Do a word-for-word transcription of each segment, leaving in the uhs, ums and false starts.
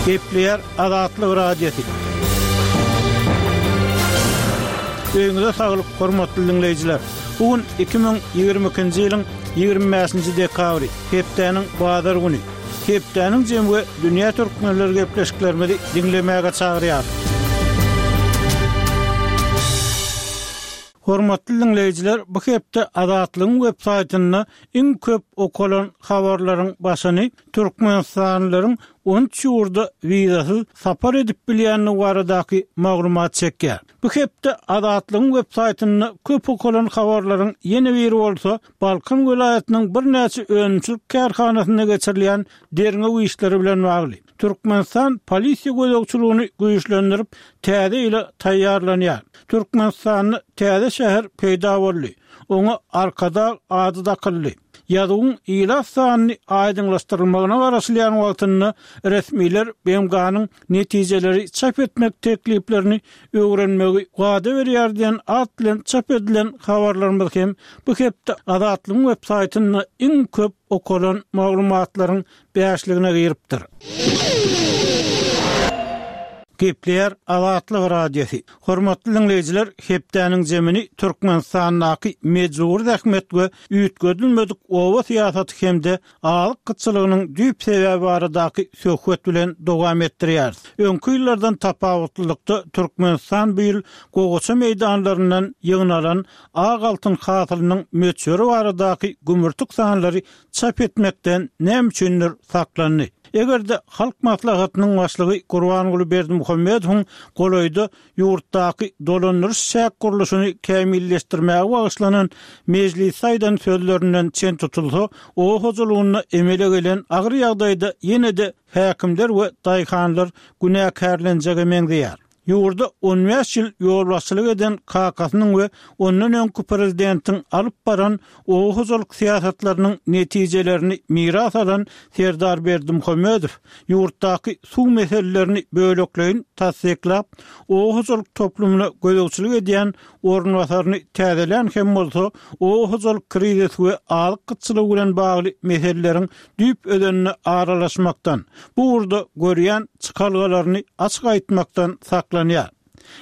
Gepleýär Azatlyk Radiosy. Öýüňize saglyk, hormatly diňleýjiler. Bu gün iki müň ýigrimi ikinji ýylyň ýigrimi bäşinji dekabry, hepdäniň bazar güni. Hepdäniň jemi we dünýä türkmenleri gepleşiklerimizi diňlemäge çagyrýar. Hormatly diňleýjiler, bu hepde Azatlygyň web saýtynda iň köp okalan habarlaryň başyny türkmenistanlylaryň on üç ýurda wizasyz sapar edip bilýändigi baradaky maglumat çekýär. Bu hepde Azatlygyň web saýtynda köp okalan habarlaryň ýene biri bolsa Balkan welaýatynyň birnäçe önümçilik kärhanasynda geçirilýän derňew işleri bilen bagly. Türkmenistan polisiýa gözegçiligini güýçlendirip, täze ýyla taýýarlanýar. Türkmenistanda täze şäher peýda boldy. Oňa Arkadag ady dakyldy. Ýazuwyň ilat sanyny aýdyňlaşdyrylmagyna garaşylýan wagtynda resmiler B M G-nyň netijeleri çap etmek tekliplerini öwrenmegi wada berýär diýen at bilen çap edilen habarlarymyz hem bu hepde Azatlygyň web saýtynda iň köp okalan maglumatlaryň bäşligine giripdir. Gepleýär Azatlyk Radiosy. Hormatly diňleýjiler, hepdäniň jemini Türkmenistandaky mejbur zähmet we üýtgedilmedik oba syýasaty hem-de azyk gytçylygynyň düýp sebäbi baradaky söhbet bilen dowam etdirýäris. Öňki ýyllardan tapawutlylykda Türkmenistan bu ýyl gowaça meýdanlaryndan ýygnalan ak altyn hasylynyň möçberi baradaky gümürtik sanlary çap etmekden näme üçindir saklandy. Eger-de Halk Maslahatynyň başlygy Gurbanguly Berdimuhamedowyň golaýda ýurtdaky dolandyryş çäk gurluşyny kämilleşdirmäge bagyşlanan mejlis aýdan sözlerinden çen tutulsa, oba hojalygynda emele gelen agyr ýagdaýda ýene-de häkimler we daýhanlar günäkärlenjege meňzeýär. Ýurda on bäş ýyl ýolbaşçylyk eden kakasynyň we ondan öňki prezidentiň alyp baran oba hojalyk syýasatlarynyň netijelerini miras alan Serdar Berdimuhamedow ýurtdaky suw meselelerini bölekleýin tassyklap, oba hojalyk toplumyna gözegçilik edýän orunbasaryny täzelän hem bolsa, oba hojalyk krizisi we azyk gytçylygy bilen bagly meseleleriň düýp özenine aralaşmakdan, bu ugurda görýän çykalgalaryny açyk aýtmakdan saklanýar.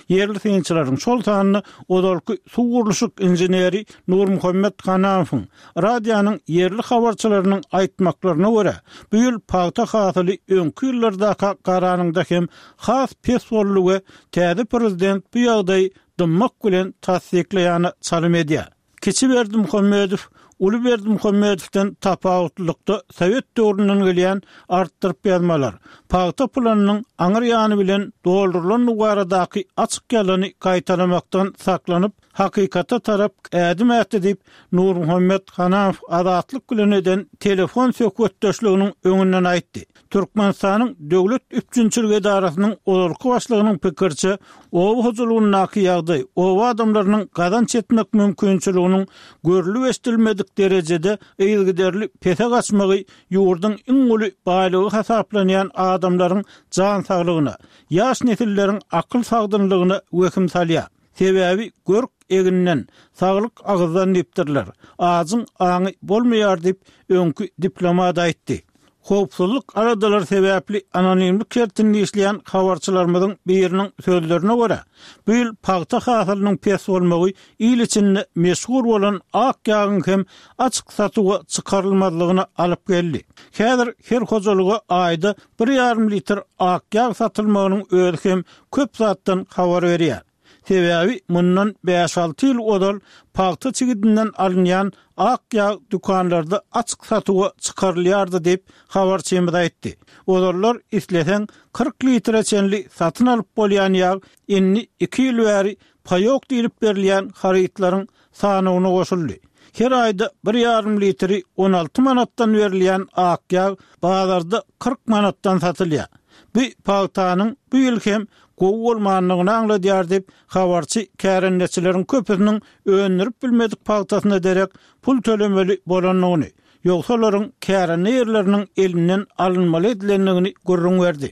Ýerli synçylaryň şol sanda ozalky suw gurluşyk inženeri Nurmuhammet Hanamowyň radionyň ýerli habarçylarynyň aýtmaklaryna görä, bu ýyl pagta hasyly öňki ýyllardaka garanyňda hem has pes boldy we täze prezident bu ýagdaýy dymmak bilen tassyklaýany çalym edýär. Kiçi Berdimuhamedow Uly Berdimuhamedowdan tapawutlylykda Sowet döwründen gelýän artdyryp ýazmalar, pagta planynyň aňyr ýany bilen doldurylan baradaky açyk ýalany gaýtalamakdan saklanyp, hakykata tarap ädim ätdi diýip Nurmuhammet Hanamow Azatlyk bilen eden telefon söhbetdeşliginiň öňünden aýtdy. Türkmenistanyň Döwlet Üpjünçilik Edarasynyň ozalky başlygynyň pikirçe, oba hojalygyndaky ýagdaý oba adamlarynyň gazanç etmek mümkinçiliginiň görlüp eşidilmedik derejede yzygiderli pese gaçmagy ýurduň iň uly baýlygy hasaplanýan adamlaryň jan saglygyna, ýaş nesilleriň akyl sagdynlygyna wehim salýar. Sebäbi görk eginden, saglyk agyzdan diýipdirler. Ajyň aňy bolmaýar diýip öňki diplomat aýtdy. Howpsuzlyk aladalary sebäpli anonimlik şertinde işleýän habarçylarymyzyň biriniň sözlerine görä, bu ýyl pagta hasylynyň pes bolmagy il içinde meşhur bolan ak ýagyň hem açyk satuwa çykarylmazlygyna alyp geldi. Häzir her hojalyga aýda bir ýarym litr ak ýag satylmagynyň özi hem köp zatdan habar berýär. Sebäbi mundan bäş alty ýyl ozal pagta çigidinden alynýan ak ýag dükanlarda açyk satuwa çykarylýardy diýip habarçymyz aýtdy. Ozallar isleseň kyrk litre çenli satyn alyp bolýan ýag indi iki ýyl bäri paýok diýlip berilýän harytlaryň sanyna goşuldy. Her aýda bir ýarym litri on alty manatdan berilýän ak ýag bazarda kyrk manatdan satylýar. Bu pagtanyň bu ýyl hem gowy bolmandygyny aňladýar diýip habarçy kärendeçileriň köpüsiniň öndürip bilmedik pagtasyna derek pul tölemeli bolandygyny, ýogsa olaryň kärende ýerleriniň elinden alynmaly edilendigini gürrüň berdi.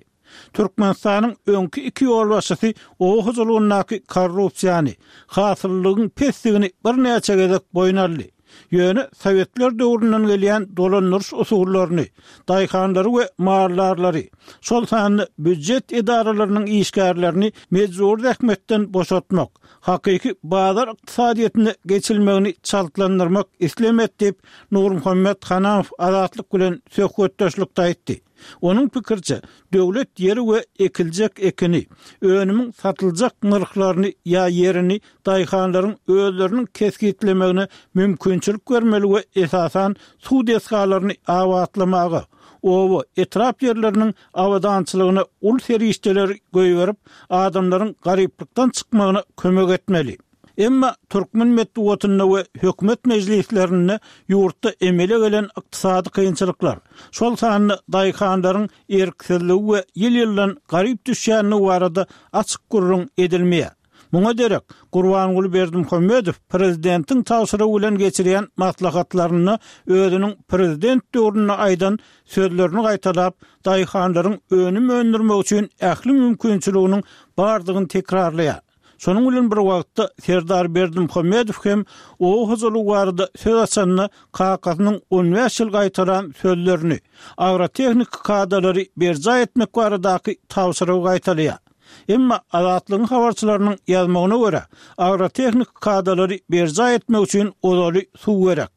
Türkmenistanyň öňki iki ýolbaşçysy oba hojalygyndaky korrupsiýany, hasyllygyň pesligini birnäçe gezek boýun aldy. Ýöne Sowetler döwründen gelýän dolandyryş usullaryny, daýhanlary we maldarlary, şol sanda býujet edaralarynyň işgärlerini mejbury zähmetden boşatmak, hakyky bazar ykdysadyýetine geçilmegini çaltlandyrmak islemek diýip, Nurmuhammet Hanamow Azatlyk bilen söhbetdeşlikde aýtdy. Onuň pikiriçe, döwlet ýeri we ekiljek ekini, önümiň satyljak nyrhlaryny ýa ýerini daýhanlaryň özleriniň kesgitlemegine mümkinçilik bermeli we esasan suw desgalaryny abatlamaga, oba, etrap ýerleriniň abadançylygyna uly serişdeleri goýberip, adamlaryň garyplykdan çykmagyna kömek etmeli. Emma türkmen metbugatynda we hökümet mejlislerinde ýurtda emele gelen ykdysady kynçylyklar, şol sanda daýhanlaryň erksizligi we ýyl-ýyldan garyp düşýänligi barada açyk gürrüň edilmeýär. Muňa derek, Gurbanguly Berdimuhamedow prezidentiň tabşyrygy bilen geçirýän maslahatlarynda özüniň prezident döwründe aýdan sözlerini gaýtalap, daýhanlaryň önüm öndürmek üçin ähli mümkinçiliginiň bardygyny tekrarlaýar. Şonuň bilen bir wagtda, Serdar Berdimuhamedow hem oba hojalygy barada söz açanda kakasynyň on bäş ýyl gaýtalan sözlerini, agrotehniki kadalary berjaý etmek baradaky tabşyrygy gaýtalaýar. Emma Azatlygyň habarçylarynyň ýazmagyna görä, agrotehniki kadalary berjaý etmek üçin ozaly suw gerek.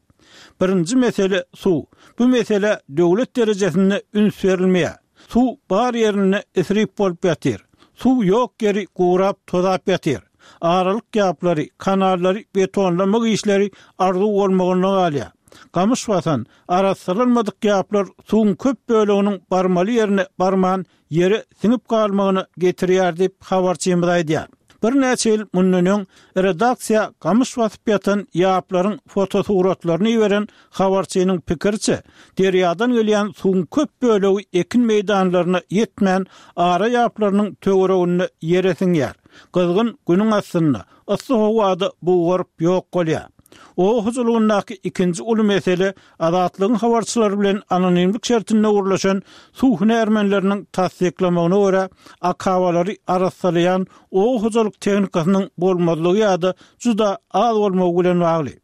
Birinji mesele suw. Bu meselä döwlet derejesinde üns berilmeýär. Suw bar ýerinde isrip bolup ýatyr. Suw ýok ýeri gurap, tozap ýatyr. Aralyk ýaplary, kanallary betonlamak işleri arzuw bolmagynda galýar. Gamyş basan, arassalanmadyk ýaplar suwuň köp böleginiň barmaly ýerine barman, ýere siňip galmagyna getirýär diýip, habarçymyz aýdýar. Birnäçe ýyl mundan öň redaksiýa gamyş basyp ýatan ýaplaryň fotosuratlaryny iberen habarçynyň pikiriçe, derýadan gelýän suwuň köp bölegi ekin meýdanlaryna ýetmän, ara ýaplarynyň töwereginde ýere siňýär. Gyzgyn günüň astynda, yssy howada bugaryp ýok bolýar. Oba hojalygyndaky ikinji uly mesele Azatlygyň habarçylary bilen anonimlik şertinde gürleşen suw hünärmenleriniň tassyklamagyna görä, akabalary arassalaýan oba hojalyk tehnikasynyň bolmazlygy ýa-da juda az bolmagy bilen bagly.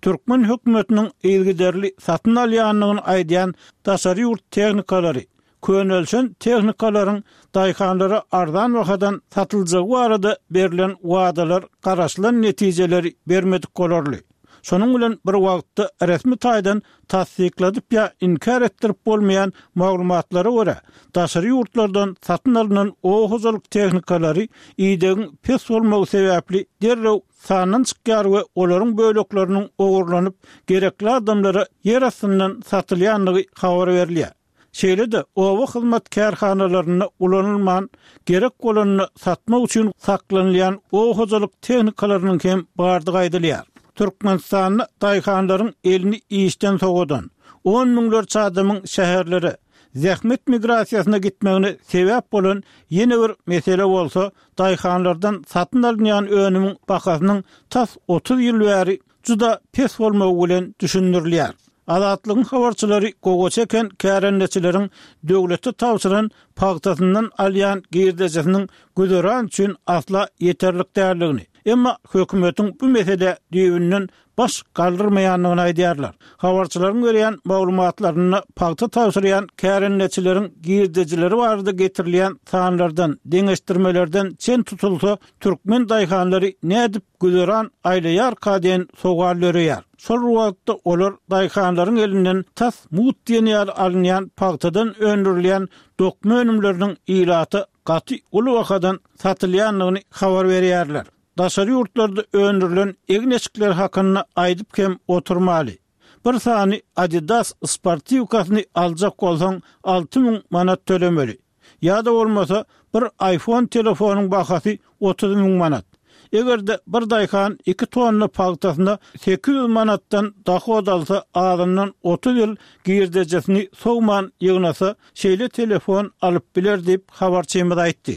Türkmen hökümetiniň yzygiderli satyn alýandygyny aýdýan daşary ýurt tehnikalary, könelişen tehnikalaryň daýhanlara arzan bahadan satyljagy barada berlen wadalar garaşylan netijeleri bermedik bolarly. Şonuň bilen bir wagtda resmi taýdan tassykladyp ýa inkär etdirip bolmaýan maglumatlara görä, daşary ýurtlardan satyn alnan oba hojalyk tehnikalary idegiň pes bolmagy sebäpli derrew sandan çykýar we olaryň bölekleriniň ogurlanyp, gerekli adamlara ýer astyndan satylýandygy habar berilýär. Şeýle-de, oba hyzmat kärhanalarynda ulanylman, gerek bolanda satmak üçin saklanylýan oba hojalyk tehnikalarynyň hem bardygy aýdylýar. Türkmenistanda daýhanlaryň elini işden sowadan, on müňlerçe adamyň şäherlere, zähmet migrasiýasyna gitmegine sebäp bolan ýene bir mesele bolsa, daýhanlardan satyn alynýan önümiň bahasynyň tas otuz ýyl bäri juda pes bolmagy bilen düşündirilýär. Azatlygyň habarçylary gowaça eken kärendeçileriň döwlete tabşyran pagtasyndan alýan girdejisiniň güzeran üçin asla ýeterlik däldigini, emma hökümetiň bu meselä düýbünden baş galdyrmaýandygyny aýdýarlar. Habarçylaryň berýän maglumatlarynda pagta tabşyrýan kärendeçileriň girdejileri barada getirilýän sanlardan, deňeşdirmelerden çen tutulsa, türkmen daýhanlary nädip güzeran aýlaýarka diýen sowal döreýär. Şol bir wagtda olar daýhanlaryň elinden tas mugt diýen ýaly alynýan pagtadan öndürilýän dokma önümleriniň ilata gaty uly bahadan satylýandygyny habar berýärler. Daşary ýurtlarda öndürilen egin-eşikler hakynda aýdyp hem oturmaly. Bir sany Adidas sportiwkasyny aljak bolsaň alty müň manat tölemeli. Ýa-da bolmasa bir iPhone telefonyň bahasy otuz müň manat. Eger-de bir daýhan iki tonna pagtasyna sekiz ýüz manatdan dohod alsa azyndan otuz ýyl girdejesini sowman ýygnasa şeýle telefon alyp biler diýip habarçymyz aýtdy.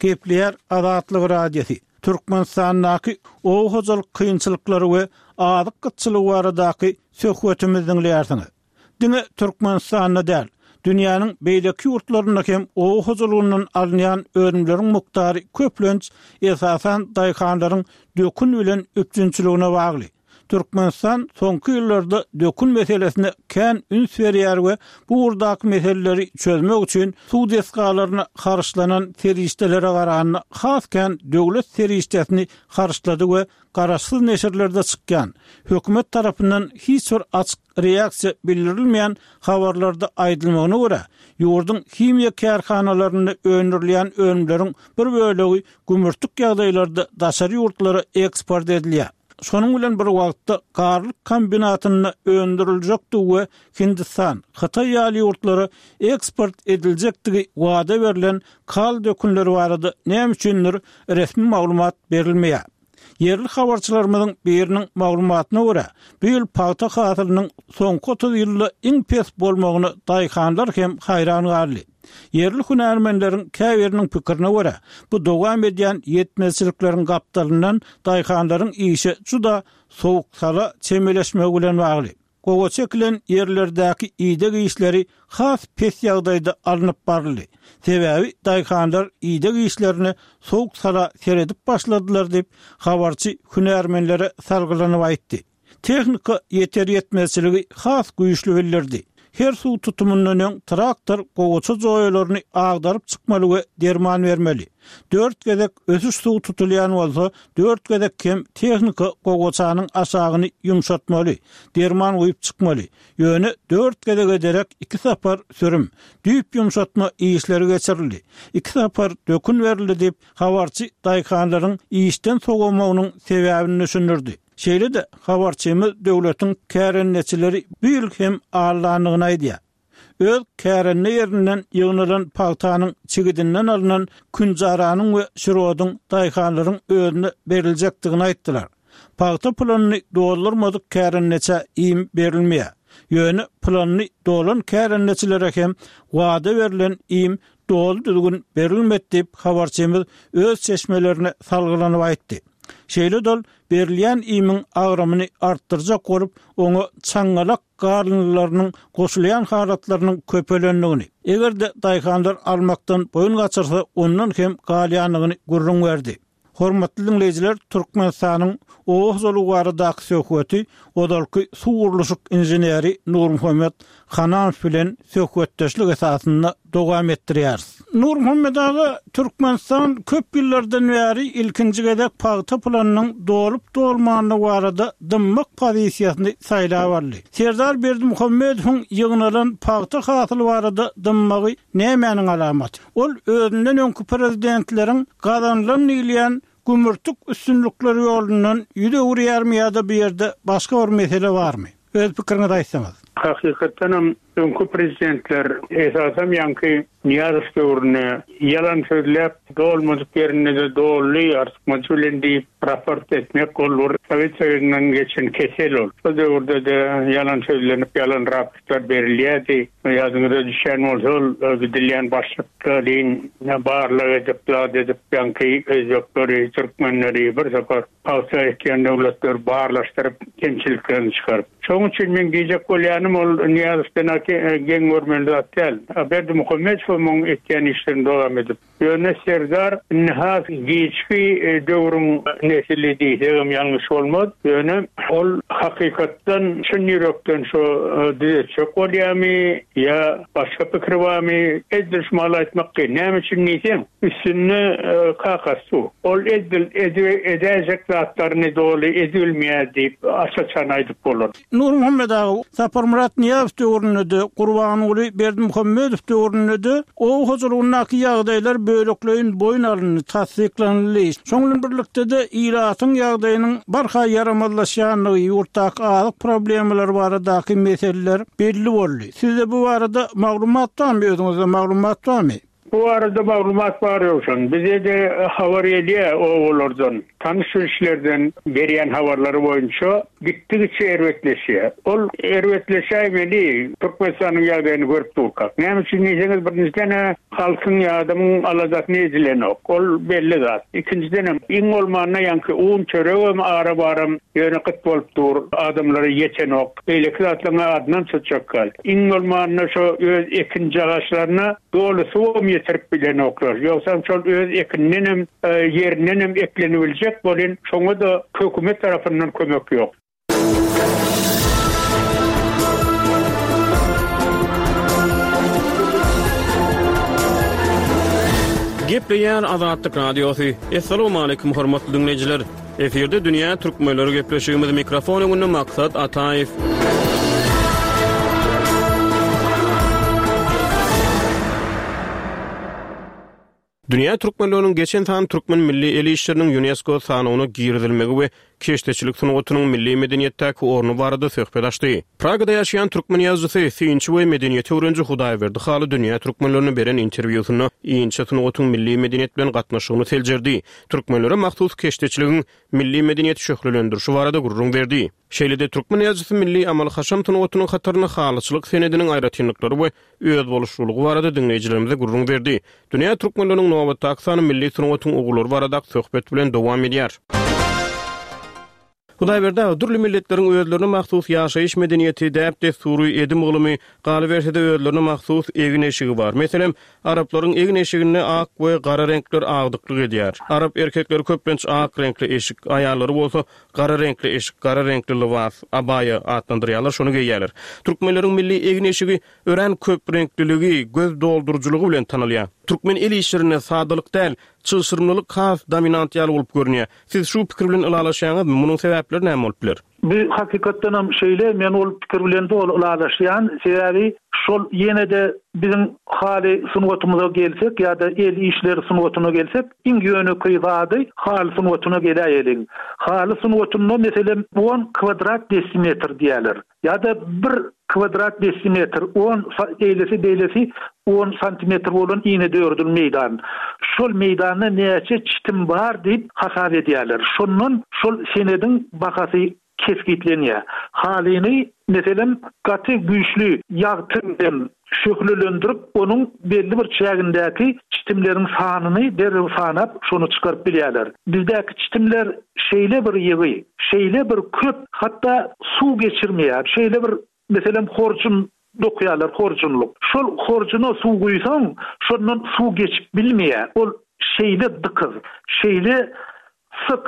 Gepleýär Azatlyk Radiosy. Türkmenistandaky oba hojalyk kynçylyklary we azyk gytçylygy baradaky söhbetimizi diňleýärsiňiz. Diňe Türkmenistanda däl, Dünýäniň beýleki ýurtlarynda hem oba hojalygyndan alynýan önümleriň mukdary köplenç esasan daýhanlaryň dökün bilen üpjünçiligine bagly. Türkmenistan soňky ýyllarda dökün meselesine kän üns berýär we bu ugurdaky meseleleri çözmek üçin suw desgalaryna harçlanan serişdelere garanda has kän döwlet serişdesini harçlady we garaşsyz neşirlerde çykýan, hökümet tarapyndan hiç bir açyk reaksiýa bildirilmeýän habarlarda aýdylmagyna görä, ýurduň himiýa kärhanalarynda öndürilýän önümleriň bir bölegi gümürtik ýagdaýlarda daşary ýurtlara eksport edilýär. Şonuň bilen bir wagtda Garlyk kombinatynda öndüriljekdigi we Hindistan, Hytaý ýaly ýurtlara eksport ediljekdigi wada berlen kal dökünleri barada näme üçindir resmi maglumat berilmeýär. Ýerli habarçylarymyzyň biriniň maglumatyna görä, bu ýyl pagta hasylynyň soňky otuz ýylda iň pes bolmagyna daýhanlar hem haýran galdy. Ýerli hünärmenleriň käbiriniň pikirine görä, bu dowam edýän ýetmezçilikleriň gapdalyndan daýhanlaryň işe juda sowuk-sala çemeleşmegi bilen bagly. Gowaça ekilen ýerlerdäki ideg işleri has pes ýagdaýda alnyp baryldy. Sebäbi daýhanlar ideg işlerine sowuk-sala seredip başladylar diýip, habarçy hünärmenlere salgylanyp aýtdy. Tehnika ýeter-ýetmezçiligi has güýçli bildirdi. Her suw tutumyndan öň traktor gowaça joýalaryny agdaryp çykmaly we derman bermeli. Dört gezek ösüş suw tutulýan bolsa, dört gezek hem tehnika gowaçanyň aşagyny ýumşatmaly, derman guýup çykmaly. Ýöne dört gezege derek iki sapar sürüm, düýp ýumşatma işleri geçirildi. Iki sapar dökün berildi diýip, habarçy daýhanlaryň işden sowamagynyň sebäbini düşündirdi. Şeýle-de, habarçymyz döwletiň kärendeçileri bu ýyl hem aldandygyny aýdýar. Öz kärende ýerinden ýygnalan pagtanyň çigidinden alnan künjaranyň we şirodyň daýhanlaryň özüne beriljekdigini aýtdylar. Pagta planyny doldurmadyk kärendeçä iým berilmeýär. Ýöne planyny dolan kärendeçilere hem wada berlen iým doly düzgün berilmedi diýip, habarçymyz öz çeşmelerine salgylanyp aýtdy. Şeýle-de ol berilýän iýmiň agramyny artdyrjak bolup, oňa çaňňalak galyndylarynyň goşulýan halatlarynyň köpelendigini, eger-de daýhanlar almakdan boýun gaçyrsa, ondan hem galýandygyny gürrüň berdi. Hormatly diňleýjiler, Türkmenistanyň oba hojalygy baradaky söhbeti ozalky suw gurluşyk inženeri Nurmuhammet Hananow bilen söhbetdeşlik esasynda dowam etdirýäris. Nurmuhammet aga, Türkmenistan köp ýyllardan bäri ilkinji gezek pagta planynyň dolup-dolmanlygy barada dymmak pozisiýasyny saýlap aldy. Serdar Berdimuhamedowyň ýygnalan pagta hasyly barada dymmagy nämäniň alamaty? Ol özünden öňki prezidentleriň gazanylan diýilýän gümürtik üstünlikleri ýolundan ýüz öwürýärmi ýa-da bu ýerde başga bir mesele barmy? Öz pikiriňizi aýtsaňyz. Hakykatdanam öňki prezidentler, esasam ýaňky Nyýazow döwründe ýalan sözläp, dolmadyk ýerinde-de doldy, artykmajy bilen diýip raport etmek ol bir Sowet Soýuzyndan geçen kesel ol. Şol döwürde-de ýalan sözlenip, ýalan raportlar berilýärdi. Ýadyňyza düşýän bolsa ol gidilýän başlyklaryň barlag edip, zat edip ýaňky özbekleri, türkmenleri bir topar pagta ekýän döwletleri barlaşdyryp, kemçiliklerini çykaryp. Şonuň üçin meň diýjek bolýanym ol Nyýazowdan-a geň görmeli zat däl. Berdimuhamedow muň etýän işlerini dowam edip. Ýöne Serdar indi has giçki döwrüň nesili diýsegem ýalňyş bolmaz. Ýöne ol hakykatdan çyn ýürekden şo düzetjek bolýamy ýa başga pikiri barmy edil şu mahaly aýtmak kyn. Näme üçin diýseň, üstünde kakasy dur. Ol edil edäýjek zatlaryny doly edibilmeýär diýip aç-açan aýdyp bolar. Nurmuhammet aga, Saparmyrat Nyýazow döwründe-de, Gurbanguly Berdimuhamedow döwründe-de oba hojalygyndaky ýagdaýlar bölekleýin boýun alyndy, tassyklanyldy. Şonuň bilen birlikde-de, ilatyň ýagdaýynyň barha ýaramazlaşýandygy, ýurtdaky azyk problemalary baradaky meseleler belli boldy. Sizde bu barada maglumat barmy, özüňizde maglumat barmy? Bu arada maglumat bar ýoksan. Bize de habar gelýär owalardan, tanyş bilişlerden berýän habarlary boýunça gitdigiçe erbetleşýär. Ol erbetleşäýmeli Türkmenistanyň ýagdaýyny görüp durkak. Näme üçin diýseňiz, birinjiden halkyň ýadymyň aladasyny edilenok. Ol belli zat. Ikinjiden hem iň bolmanda ýaňky un çöregem ara baram ýöne gyt bolup dur, adamlara ýetenok. Beýleki zatlaryň adyndan tutjak gal. Iň bolmanda şo öz ekin jagaşlaryna doly suwam ýetirip bilenoklar. Ýogsam şol öz ekinden hem ýerinden hem eklenibiljek bolun, şoňa da hökümet tarapyndan kömek ýok. Gepleýär Azatlyk Radiosy. Essalamu aleýkum hormatly dinleýjiler. Efirde Dünýä Türkmenleri gepleşigimiz mikrofon öňünde Maksat Ataýew. Dünýä Türkmenleriniň geçen san Türkmen milli el işleriniň UNESCO sanawyna girizilmegi we keşdeçilik sungatynyň milli medeniýetdäki orny barada söhbet açdy. Pragada ýaşaýan türkmen ýazyjysy, synçy we medeniýet öwreniji Hudaýberdi Haly Dünýä Türkmenlerine beren interwýusynda inçe sungatyň milli medeniýet bilen gatnaşygyny seljerdi. Türkmenlere mahsus keşdeçiligiň milli medeniýeti şöhlelendirişi barada gürrüň berdi. Şeýle-de türkmen ýazyjysy milli amaly-haşam sungatynyň hataryna halyçylyk senediniň aýratynlyklary we özboluşlylygy barada diňleýjilerimize gürrüň berdi. Dünýä Türkmenleriniň nobatdaky sany milli sungatyň ugurlary barada söhbet bilen dowam edýär. Hudaýberdi aga, dürli milletleriň özlerine mahsus ýaşaýyş medeniýeti, däp-dessury, edim-gylymy, galyberse-de özlerine mahsus egin-eşigi bar. Meselem, araplaryň egin-eşiginde ak we gara reňkler agdyklyk edýär. Arap erkekleri köplenç ak reňkli eşik, aýallary bolsa gara reňkli eşik, gara reňkli lybas, abaýa atlandyrýarlar, şony geýýärler. Türkmenleriň milli egin-eşigi örän köp reňkliligi, göz dolduryjylygy bilen tanalýar. Türkmen el işlerinde sadalyk däl, çylşyrymlylyk has dominant ýaly bolup görünýär. Siz şu pikir bilen ylalaşýaňyzmy? Munuň sebäpleri näme bolup biler? Bu hakykatdan hem şeýle, men ol pikir bilen doly ylalaşýan, sebäbi şol ýene-de biziň haly sungatymyza gelsek ýa-da el işleri sungatyna gelsek, iň ýönekeý zady haly sungatyna geläýeliň. Haly sungatynda meselem on kvadrat desimetr diýerler. Ýa-da bir kvadrat desimetr, on eýlesi beýlesi on santimetr bolan inedördül meýdan. Şol meýdanda näçe çitim bar diýip hasap edýärler. Şondan şol senediň bahasy kesgitlenýär. Halyny meselem gaty güýçli ýagty bilen şöhlelendirip, onuň belli bir çägindäki çitimleriň sanyny derrew sanap, şonu çykaryp bilýärler. Bizdäki çitimler şeýle bir ýygy, şeýle bir köp, hatda suw geçirmeýär. Şeýle bir meselem horjun dokýarlar, horjunlyk. Şol horjuna suw guýsaň, şondan suw geçip bilmeýär. Ol şeýle dykyz, şeýle syk.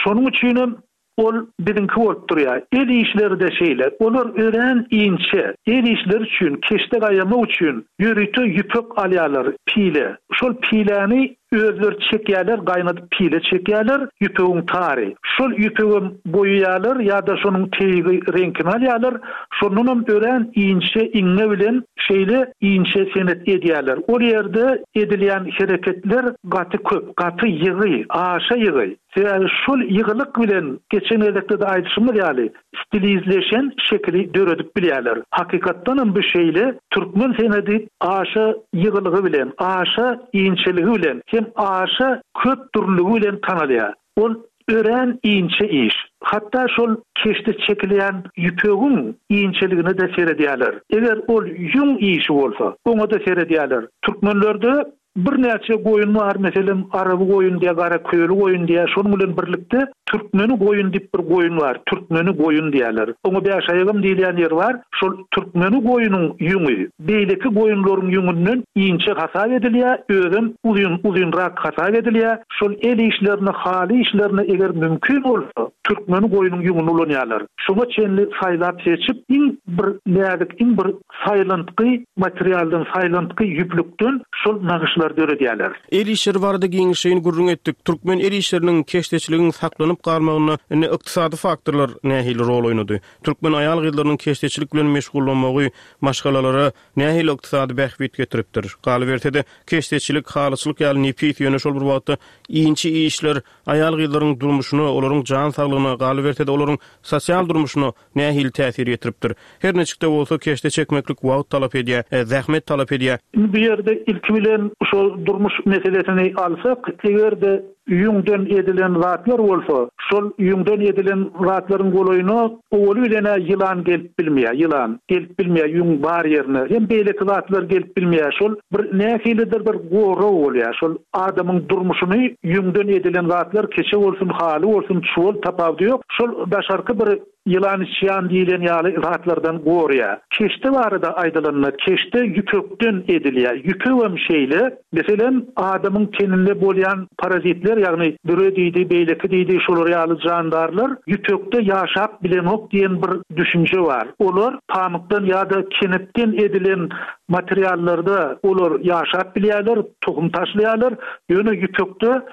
Şonuň üçin hem ol biziňki bolup durýar. El işleri de şeýle. Olar örän inçe. El işleri üçin, keşde gaýamak üçin ýörite ýüpek alýarlar, pile. Şol piläni özleri çekýärler, gaýnadyp pile çekýärler, ýüpegiň tary. Şol ýüpegem boýaýarlar ýa-da şonuň teýgi reňkini alýarlar. Şondan hem örän inçe iňňe bilen şeýle inçe senet edýärler. Ol ýerde edilýän hereketler gaty köp, gaty ýygy, aşa ýygy. Sebäbi şol ýygylyk bilen geçen gezekde de aýdyşymyz ýaly stilizleşen şekili döredip bilýärler. Hakykatdan hem bu şeýle türkmen senedi aşa ýygylygy bilen, aşa inçeligi bilen, hem aşa köp dürlüligi bilen tanalýar. Ol örän inçe iş. Hatda şol keşde çekilýän ýüpegiň inçeligine de seredýärler. Eger ol ýüň işi bolsa, oňa da seredýärler. Türkmenlerde bir näçe goýun bar, meselem araby goýun diýe, gara köýli goýun diýe, şonuň bilen birlikde türkmeni goýun diýip bir goýun bar, türkmeni goýun diýerler. Oňa bäş aýagam diýilýän ýer bar. Şol türkmeni goýunyň ýüňi beýleki goýunlaryň ýüňünden inçe hasap edilýär, özem uzyn uzynrak hasap edilýär. Şol el işlerini, haly işlerini eger mümkin bolsa, türkmeni goýunyň ýüňüni ulanýarlar. Şoňa çenli saýlap seçip, iň bir näzik, iň bir saýlantgy materialdan, saýlantgy ýüplükden şol nagyşlary kynçylyklar döredýärler. El işleri barada giňişleýin gürrüň etdik. Türkmen el işleriniň keşdeçiligiň saklanyp galmagynda indi ykdysady faktorlar nähili rol oýnady? Türkmen aýal-gyzlarynyň keşdeçilik bilen meşgullanmagy maşgalalara nähili ykdysady bähbit getiripdir? Galyberse-de keşdeçilik, halyçylyk ýaly nepis ýöne şol bir wagtda inçe işler aýal-gyzlaryň durmuşyna, olaryň jan saglygyna, galyberse-de olaryň sosial durmuşyna nähili täsir ýetiripdir? Her niçik-de bolsa keşde çekmeklik wagt talap edýär, e, zähmet talap edýär. Indi bu ýerde ilki bilen şol durmuş meselesini alsak, eger-de ýüňden edilen zatlar bolsa, şol ýüňden edilen zatlaryň golaýyna owaly bilen ýylan gelip bilmeýär, ýylan gelip bilmeýär ýüň bar ýerine. Hem beýleki zatlar gelip bilmeýär. Şol bir nähilidir bir gorag bolýar. Şol adamyň durmuşyny ýüňden edilen zatlar keçe bolsun, haly bolsun, çuwal tapawudy ýok. Şol daşarky bir ýylan içýan diýilen ýaly zatlardan gorýar. Keşde barada aýdylanda keşde ýüpekden edilýär. Ýüpegem şeýle, meselem, adamyň teninde bolýan parazitler, ýagny büre diýdi, beýleki diýdi, şolar ýaly jandarlar ýüpekde ýaşap bilenok diýen bir düşünje bar. Olar pamykdan ýa-da kenepden edilen materiallarda olar ýaşap bilýärler, tohum taşlaýarlar, ýöne ýüpekde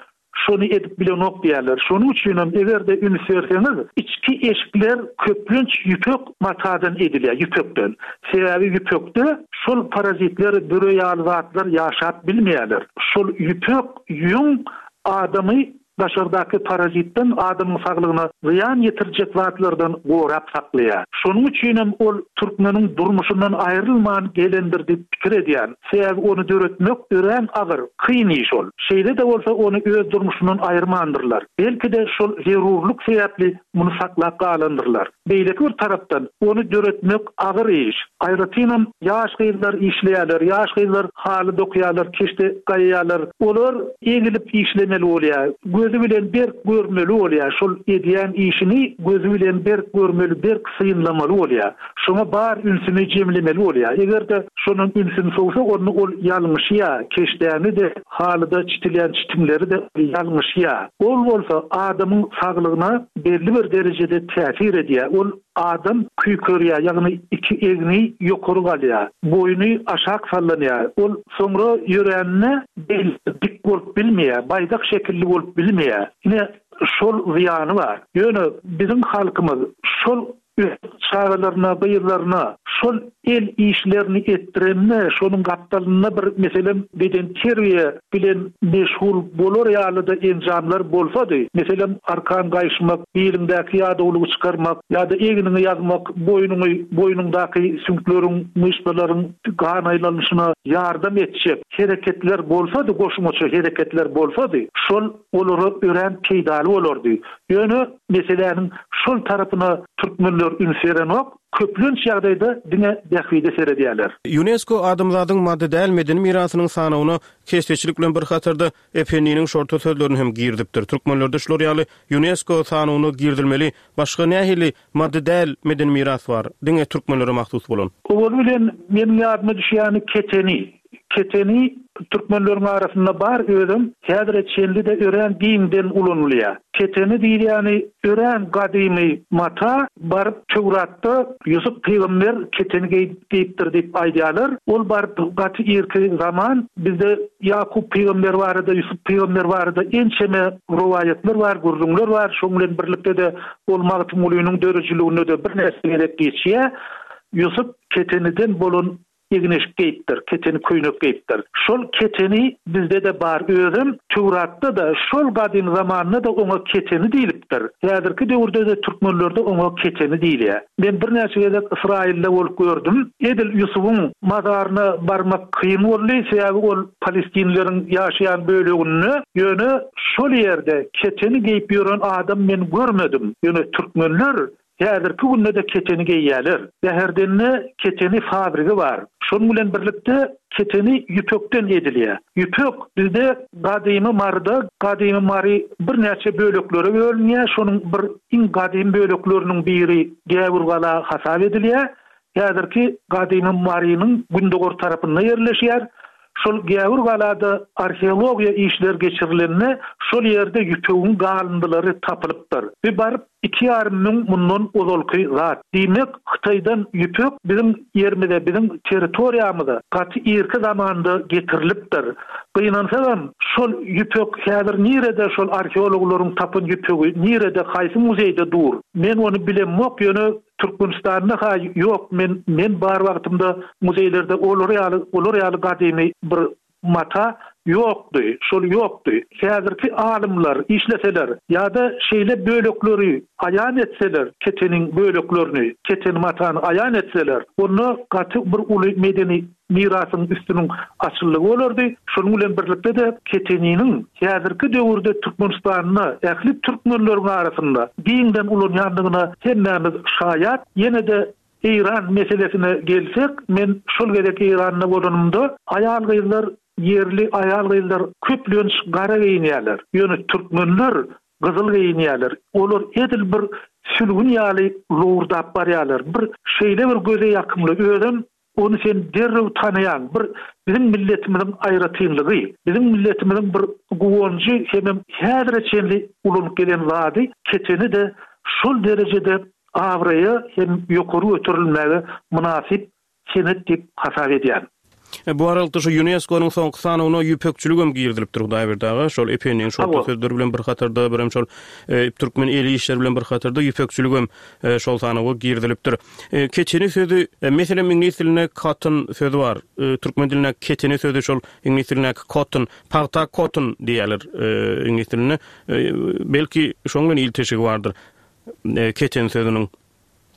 şony edip bilenok diýerler. Şonuň üçin hem eger-de üns berseňiz, içki eşikler köplenç ýüpek matadan edilýär, ýüpekden. Sebäbi ýüpekde şol parazitler, büre ýaly zatlar ýaşap bilmeýärler. Şol ýüpek ýüň adamy daşardaky parazitden adamyň saglygyna zyýan ýetirjek zatlardan gorap saklaýar. Şonuň üçin hem ol türkmeniň durmuşyndan aýrylman gelendir diýip pikir edýän. Sebäbi ony döretmek örän agyr, kyn iş ol. Şeýle-de bolsa ony öz durmuşyndan aýyrmandyrlar. Belki-de şol zerurlyk sebäpli muny saklap galandyrlar. Beýleki bir tarapdan ony döretmek agyr iş. Aýratynam ýaş gyzlar işleýärler, ýaş gyzlar haly dokýarlar, keşde gaýýarlar. Olar egilip işlemeli bolýar. Gözü bilen berk görmeli bolýar. Şol edýän işini gözü bilen berk görmeli, berk synlamaly bolýar. Şoňa bar ünsüni jemlemeli bolýar. Eger-de şonuň ünsüni sowsa, ony ol ýalňyşýar. Keşdäni de, halyda çitilýän çitimleri de ýalňyşýar. Ol bolsa adamyň saglygyna belli bir derejede täsir edýär. Ol adam küýkerýär, ýagny iki egni ýokary galýar, boýny aşak sallanýar. Ol soňra ýöränine bel dik bolup bilmeýär, baýdak şekilli bolup bilmeýär. Ine şol zyýany bar. Ýöne biziň halkymyz şol öz çagalaryna, gyzlaryna şol el işlerini etdirende, şonuň gapdalynda bir meselem beden terbiýe bilen meşgul bolar ýaly-da enjamlar bolsady, meselem arkan gaýyşmak, biliňdäki ýadawlygy çykarmak ýa-da egniňi ýazmak, boýnuňy, boýnuňdaky süňkleriň, myşsalaryň gan aýlanyşyna ýardam etjek hereketler bolsady, goşmaça hereketler bolsady, şol olara örän peýdaly bolardy. Ýöne meseläniň şol tarapyna türkmenler üns berenok, köplenç ýagdaýda diňe bähbide seredýärler. UNESCO adamzadyň maddy däl medeni mirasynyň sanawyna keşdeçilik bilen bir hatarda Ependiniň şorta sözlerini hem girizipdir. Türkmenlerde şular ýaly UNESCO sanawyna girizilmeli başga nähili maddy däl medeni miras bar? Diňe türkmenlere mahsus bolan. Owal bilen meniň ýadyma düşýäni keteni. Keteni türkmenleriň arasynda bar, özüm häzire çenli-de örän giňden ulanylýar. Keteni diýilýäni örän gadymy mata, baryp Töwratda Ýusup pygamber keteni geýipdir diýip aýdýarlar. Ol baryp gaty irki zaman bizde Ýakup pygamber barada, Ýusup pygamber barada ençeme rowaýatlar bar, gürrüňler bar. Şonuň bilen birlikde-de ol Magtymgulynyň döredijiliginde-de birnäçe gezek geçýär. Ýusup keteniden bolan egin-eşik geýipdir, keteni köýnek geýipdir. Şol keteni bizde-de bar, özüm Töwratda-da şol gadym zamanda da oňa keteni diýilipdir. Häzirki döwürde-de türkmenlerde oňa keteni diýilýär. Men birnäçe gezek Ysraýylda bolup gördüm. Edil Ýusubyň mazaryna barmak kyn boldy, sebäbi ol Palestinleriň ýaşaýan böleginde, ýöne şol ýerde keteni geýip ýören adam men görmedim. Ýöne türkmenler häzirki günde-de keteni geýýärler. Bäherdende keteni fabrigi bar. Şonuň bilen birlikde keteni ýüpekden edilýär. Ýüpek bizde gadymy Maryda, gadymy Mary birnäçe böleklere bölünýär. Şonuň bir iň gadymy bölekleriniň biri Gäwürgala hasap edilýär. Häzirki gadymy Marynyň gündogar tarapynda ýerleşýär. Şol Gäwürgalada arheologiýa işler geçirilende şol ýerde ýüpegiň galyndylary tapylypdyr. We baryp Iki ýarym müň mundan ozalky zat. Diýmek, Hytaýdan ýüpek biziň ýerimize, biziň territoriýamyza gaty irki zamanda getirilipdir. Gynansagam, şol ýüpek häzir nirede, şol arheologlaryň tapan ýüpegi nirede, haýsy muzeýde dur? Men ony bilemok, ýöne Türkmenistanda ha ýok. Men men bar wagtymda muzeýlerde olar ýaly, olar ýaly gadymy bir mata ýokdy, şol ýokdy. Häzirki alymlar işleseler ýa-da şeýle bölekleri aýan etseler, keteniň böleklerini, keten matany aýan etseler, onda gaty bir uly medeni mirasyň üstüniň açyllygy bolardy. Şonuň bilen birlikde-de keteniniň häzirki döwürde Türkmenistanda ähli türkmenleriň arasynda giňden ulanýandygyna hemmämiz şaýat. Ýene-de Eýran meselesine gelsek, men şol gezek Eýranda bolanymda aýal-gyzlar, ýerli aýal-gyzlar köplenç gara geýinýärler. Ýöne türkmenler gyzyl geýinýärler. Olar edil bir sülgün ýaly lowurdap barýarlar. Bir şeýle bir göze ýakymly, özem ony sen derrew tanaýaň. Bir biziň milletimiziň aýratynlygy, biziň milletimiziň bir guwanjy hemem häzire çenli ulanyp gelen zady keteni-de şol derejede abraýa hem ýokary göterilmäge mynasyp senet diýip hasap edýän. E, bu aralykda şu UNESCO-nyň soňky sanawyna ýüpekçiligem girizilipdir Hudaýberdi aga. Şol Ependiň şol Hawa. sözleri bilen bir hatarda, birem şol, e, türkmen el işleri bilen bir hatarda ýüpekçiligem, e, şol sanawa girizilipdir. E, keteni sözi, e, meselem iňlis dilinde cotton sözi bar. E, türkmen dilinde keteni sözi şol iňlis dilindäki cotton, pagta cotton diýerler, e, iňlis dilinde. E, belki şoň bilen ilteşigi bardyr. E, keten sözüniň.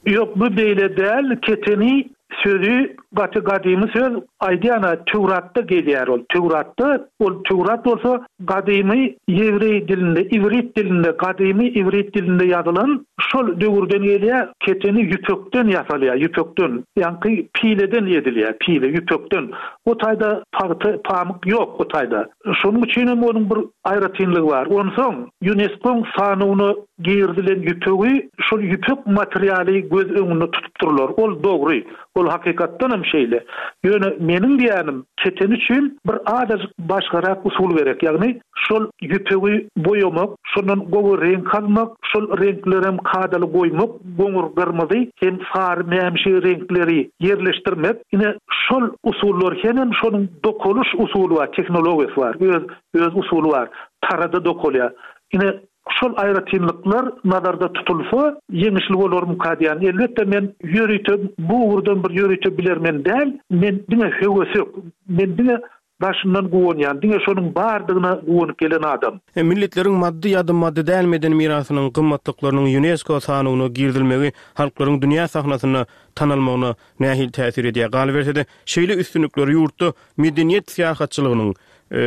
Ýok, bu beýle däl. Keteni sözi gaty gadymy söz, aýdýana Töwratda gelýär ol. Töwratda, ol Töwrat bolsa gadymy ýewreý dilinde, iwrit dilinde, gadymy iwrit dilinde ýazylan şol döwürden gelýär. Keteni ýüpekden ýasalýar, ýüpekden, ýaňky pileden edilýär, pile ýüpekden. O taýda pagta, pamyk ýok o taýda. Şonuň üçin hem onuň bir aýratynlygy bar. Onsoň UNESCO-nyň sanawyna girizilen ýüpegi, şol ýüpek materialy göz öňünde tutupdyrlar. Ol dogry, ol hakykatdan hem şeýle. Ýöne meniň diýýänim, keten üçin bir azajyk başgarak usul gerek. Ýagny şol ýüpegi boýamak, şondan gowy reňk almak, şol reňkleri hem kadaly goýmak, goňur gyrmyzy hem sary mämişi reňkleri ýerleşdirmek. Ine şol usullar hemem şonuň dokulyş usuly bar, tehnologiýasy bar, öz, öz usuly bar. Tarada dokulýar. Ine şol aýratynlyklar nazarda tutulsa, ýeňişli bolarmyka diýen. Elbetde men ýörite bu ugurdan bir ýörite bilermen däl, men diňe höwesek, men diňe daşyndan guwanýan, diňe şonuň bardygyna guwanyp gelen adam. E, milletleriň maddy ýa-da maddy däl medeni mirasynyň gymmatlyklarynyň UNESCO sanawyna girizilmegi halklaryň dünýä sahnasynda tanalmagyna nähili täsir edýär? Galyberse-de, şeýle üstünlikler ýurtda medeniýet syýahatçylygynyň, e,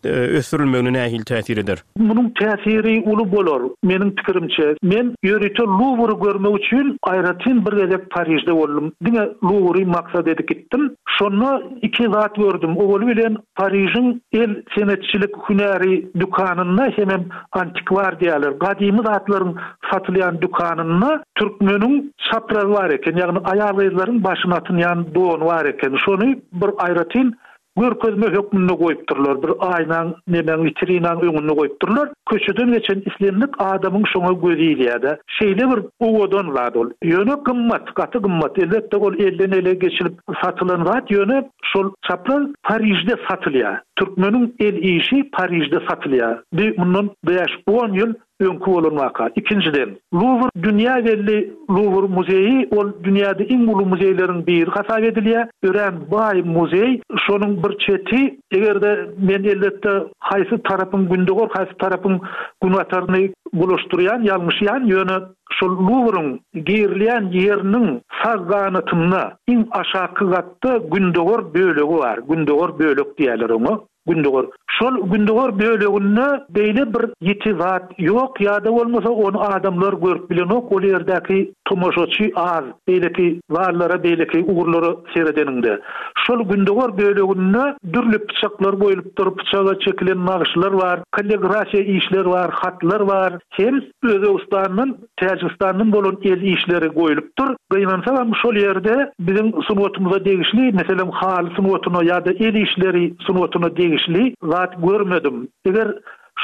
e, ösdürilmegine nähili täsir eder? Munuň täsiri uly bolar, meniň pikirimçe. Men ýörite Louvre görmek üçin aýratyn bir gezek Parižde boldum. Diňe Louvre maksat edip gitdim. Şonda iki zat gördüm. Owaly bilen Parižiň el senetçilik hünäri dükanynda hemem antikvar diýerler. Gadymy zatlaryň satylýan dükanynda türkmeniň çaprazy bar eken, ýagny aýal-gyzlaryň başyna atynýan dony bar eken. Şony bir aýratyn görkezme hökmünde goýupdyrlar. Bir aýnaň, nemäň, vitrinaň öňünde goýupdyrlar. Köçeden geçen islendik adamyň şoňa gözi ilýär-de. Şeýle bir owadan zat ol. Ýöne gymmat, gaty gymmat. Elbetde ol elden ele geçilip satylan zat, ýöne şol çapraz Parižde satylýar. Türkmeniň el işi Parižde satylýar. Bir mundan bäş on ýyl öňki bolan waka. Ikinjiden, Louvre dünýä belli Louvre muzeýi, ol dünýäde iň uly muzeýleriň biri hasap edilýär. Örän baý muzeý. Şonuň bir çeti, eger-de men elbetde haýsy tarapyň gündogar, haýsy tarapyň günbataryny bulaşdyrýan, ýalňyşýan, ýöne şol Louvre'yň girilýän ýeriniň sag ganatynda iň aşaky gatda gündogar bölegi bar. Gündogar bölek diýerler oňa. Gündogar. Şol gündogar böleginde beýle bir ýiti zat ýok, ýa-da bolmasa ony adamlar görüp bilenok, ol ýerdäki tomaşaçy az, beýleki zallara, beýleki ugurlara seredeninde. Şol gündogar böleginde dürli pyçaklar goýlupdyr, pyçaga çekilen nagyşlar bar, kalligrafiýa işler bar, hatlar bar. Hem Özbegistandan, Täjigistandan bolan el işleri goýlupdyr. Gynansagam şol ýerde biziň sungatymyza degişli, meselem haly sungatyna ýa-da el işleri sungatyna degişli zat görmedim. Eger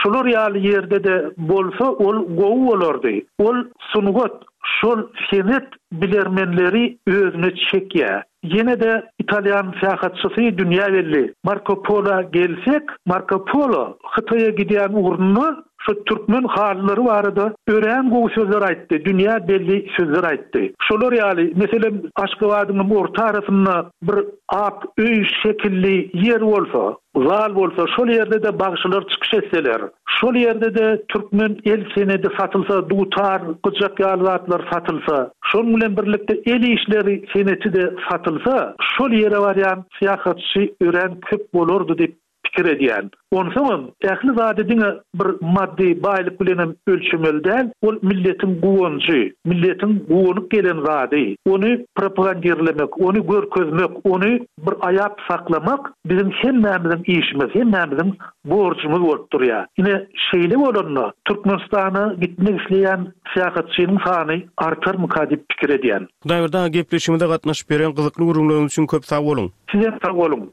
Şular ýaly ýerde-de bolsa ol gowy bolardy. Ol sungat, şol senet bilermenleri özüne çekýär. Ýene-de italýan syýahatçysy dünýä belli Marko Polo gelsek, Marko Polo Hytaýa gidýän ugrunda şu türkmen halylary barada örän gowy sözler aýtdy, dünýä belli sözler aýtdy. Şolar ýaly, meselem, Aşgabadyň orta arasynda bir ak öý şekilli ýer bolsa, zal bolsa, şol ýerde-de bagşylar çykyş etseler, şol ýerde-de türkmen el senedi satylsa, dutar, gyjak ýaly zatlar satylsa, şonuň bilen birlikde el işleri seneti-de satylsa, şol ýere barýan syýahatçy örän köp bolardy diýip pikir edýän. Onsoňam ähli zady diňe bir maddy baýlyk bilenem ölçemeli däl, ol milletiň guwanjy, milletiň guwanyp gelen zady. Ony propagandirlemek, ony görkezmek, ony bir aýap saklamak biziň hemmämiziň işimiz, hemmämiziň borjumyz bolup durýar. Ine, şeýle bolanda Türkmenistana gitmek isleýän syýahatçynyň sany artarmyka diýip pikir edýän. Hudaýberdi aga, gepleşigimize gatnaşyp beren gyzykly gürrüňleriňiz üçin köp sag boluň! Sizem sag boluň!